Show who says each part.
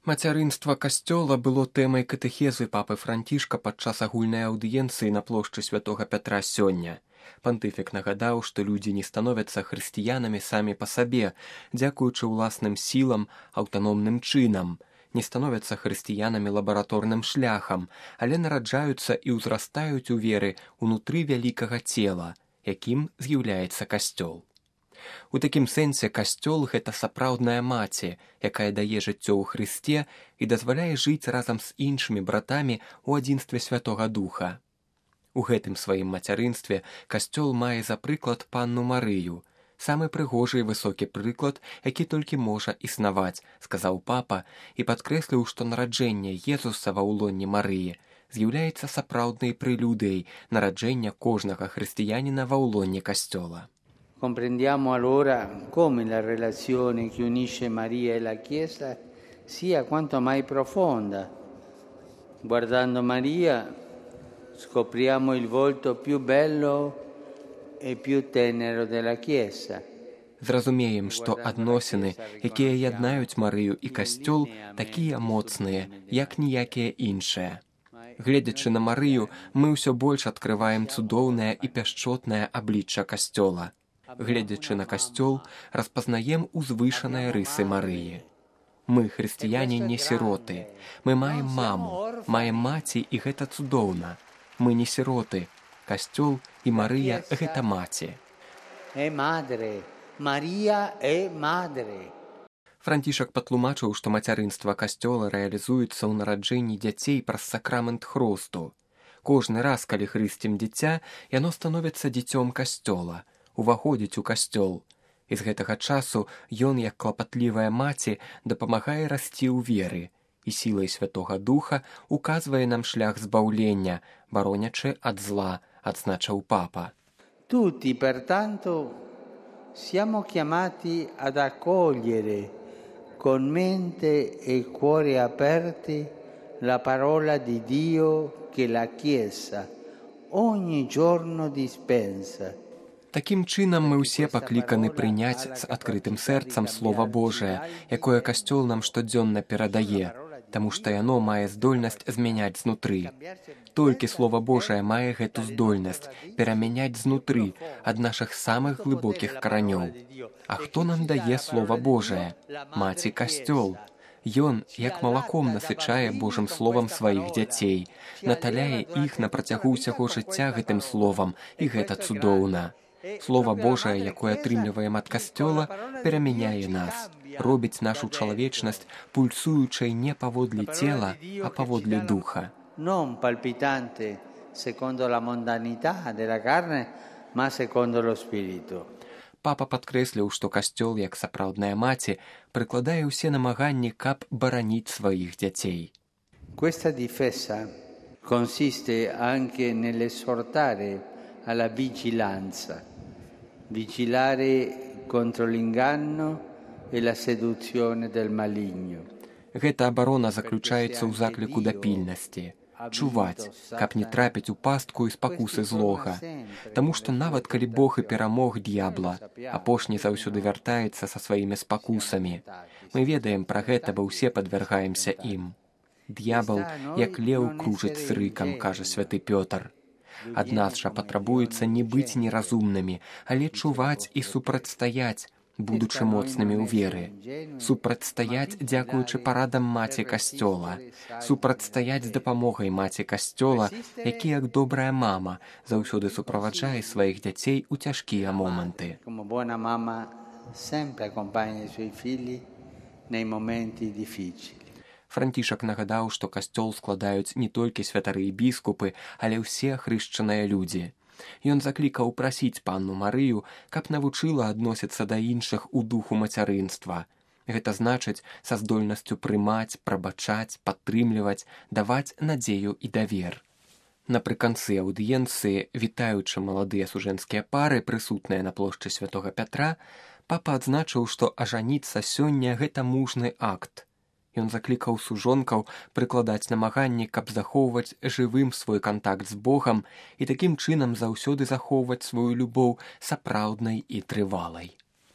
Speaker 1: Мацярынства касцёла было тэмай катэхезы папы Францішка падчас агульнай аўдыенцыі на плошчы святога Пятра сёння. Пантыфік нагадаў, што людзі не становяцца хрысціянамі самі па сабе, дзякуючы ўласным сілам, аўтаномным чынам, не становяцца хрысціянамі лабараторным шляхам, але нараджаюцца і ўзрастаюць у веры ўнутры вялікага цела, якім з'яўляецца касцёл. У такім сэнсе касцёл – гэта сапраўдная маці, якая дае жыццё ў Хрысце і дазваляе жыць разам з іншымі братамі ў адзінстве Святога Духа. У гэтым сваім мацярынстве касцёл мае за прыклад панну Марыю, самы прыгожы і высокі прыклад, які толькі можа існаваць, сказаў папа і падкрэсліў, што нараджэнне Езуса ва ўлонні Марыі з'яўляецца сапраўднай прэлюдыяй нараджэння кожнага хрысціяніна ва ўлонні касцёла.
Speaker 2: Comprendiamo allora come la relazione che unisce Maria e la Chiesa sia quanto mai profonda. Guardando Maria scopriamo il volto più bello e più tenero della Chiesa.
Speaker 1: Зразумеем, што адносіны, якія яднаюць Марыю і касцёл, такія моцныя, як ніякія іншыя. Гледзячы на Марыю, мы ўсё больш адкрываем цудоўнае і пяшчотнае аблічча касцёла. Гледзячы на касцёл, распазнаем узвышаныя рысы Марыі. Мы, хрысціяне, не сіроты. Мы маем маму, маем маці, і гэта цудоўна. Мы не сіроты. Касцёл і Марыя – гэта маці. Францішак патлумачыў, што мацярынства касцёла рэалізуецца ў нараджэнні дзяцей праз сакрамент хросту. Кожны раз, калі хрысцім дзіця, яно становіцца дзіцём касцёла, уваходзіць у касцёл. І з гэтага часу ён, як клапатлівая маці, дапамагае расці ў веры і сілай Святога Духа указвае нам шлях збаўлення, баронячы ад зла, адзначыў папа.
Speaker 2: Tutti, pertanto, siamo chiamati ad accogliere con mente e cuore aperti la parola di Dio che la Chiesa ogni giorno dispensa.
Speaker 1: Такім чынам мы ўсе пакліканы прыняць з адкрытым сэрцам Слова Божае, якое касцёл нам штодзённа перадае, таму што яно мае здольнасць змяняць знутры. Толькі Слова Божае мае гэту здольнасць перамяняць знутры ад нашых самых глыбокіх каранёў. А хто нам дае Слова Божае? Маці касцёл. Ён, як малаком насычае Божым словам сваіх дзяцей, наталяе іх на працягу ўсяго жыцця гэтым словам, і гэта цудоўна. Слова Божае, якое атрымліваем ад касцёла, перамяняе нас, робіць нашу чалавечнасць пульсуючай не паводле цела, а паводле духа.
Speaker 2: Non palpitante secondo la mondanità della carne, ma secondo lo spirito.
Speaker 1: Папа падкрэсліў, што касцёл, як сапраўдная маці, прыкладае ўсе намаганні, каб бараніць сваіх дзяцей.
Speaker 2: Questa difesa consiste anche nell'esortare alla vigilanza, vigilare contro l'inganno e la seduzione del maligno.
Speaker 1: Гэта абарона заключаецца ў закліку да пільнасці. Чуваць, каб не трапіць у пастку і спакусы злога. Таму што нават калі Бог і перамог д'ябла, апошні заўсёды вяртаецца са сваімі спакусамі. Мы ведаем пра гэта, бо ўсе падвяргаемся ім. Д'ябал, як леў, кружыць з рыкам, кажа святы Пётр. Ад нас жа патрабуецца не быць неразумнымі, але чуваць і супрацьстаяць, будучы моцнымі ў веры. Супрацьстаяць, дзякуючы парадам маці касцёла. Супрацьстаяць з дапамогай маці касцёла, які, як добрая мама, заўсёды суправаджае сваіх дзяцей у цяжкія моманты. Францішак нагадаў, што касцёл складаюць не толькі святары і біскупы, але ўсе хрышчаныя людзі. Ён заклікаў прасіць панну Марыю, каб навучыла адносіцца да іншых у духу мацярынства. Гэта значыць са здольнасцю прымаць, прабачаць, падтрымліваць, даваць надзею і давер. Напрыканцы аўдыенцыі, вітаючы маладыя сужэнскія пары, прысутныя на плошчы святога Пятра, папа адзначыў, што ажаніцца сёння – гэта мужны акт. Ён заклікаў сужонкаў прыкладаць намаганні, каб захоўваць жывым свой кантакт з Богам і такім чынам заўсёды захоўваць сваю любоў сапраўднай і трывалай.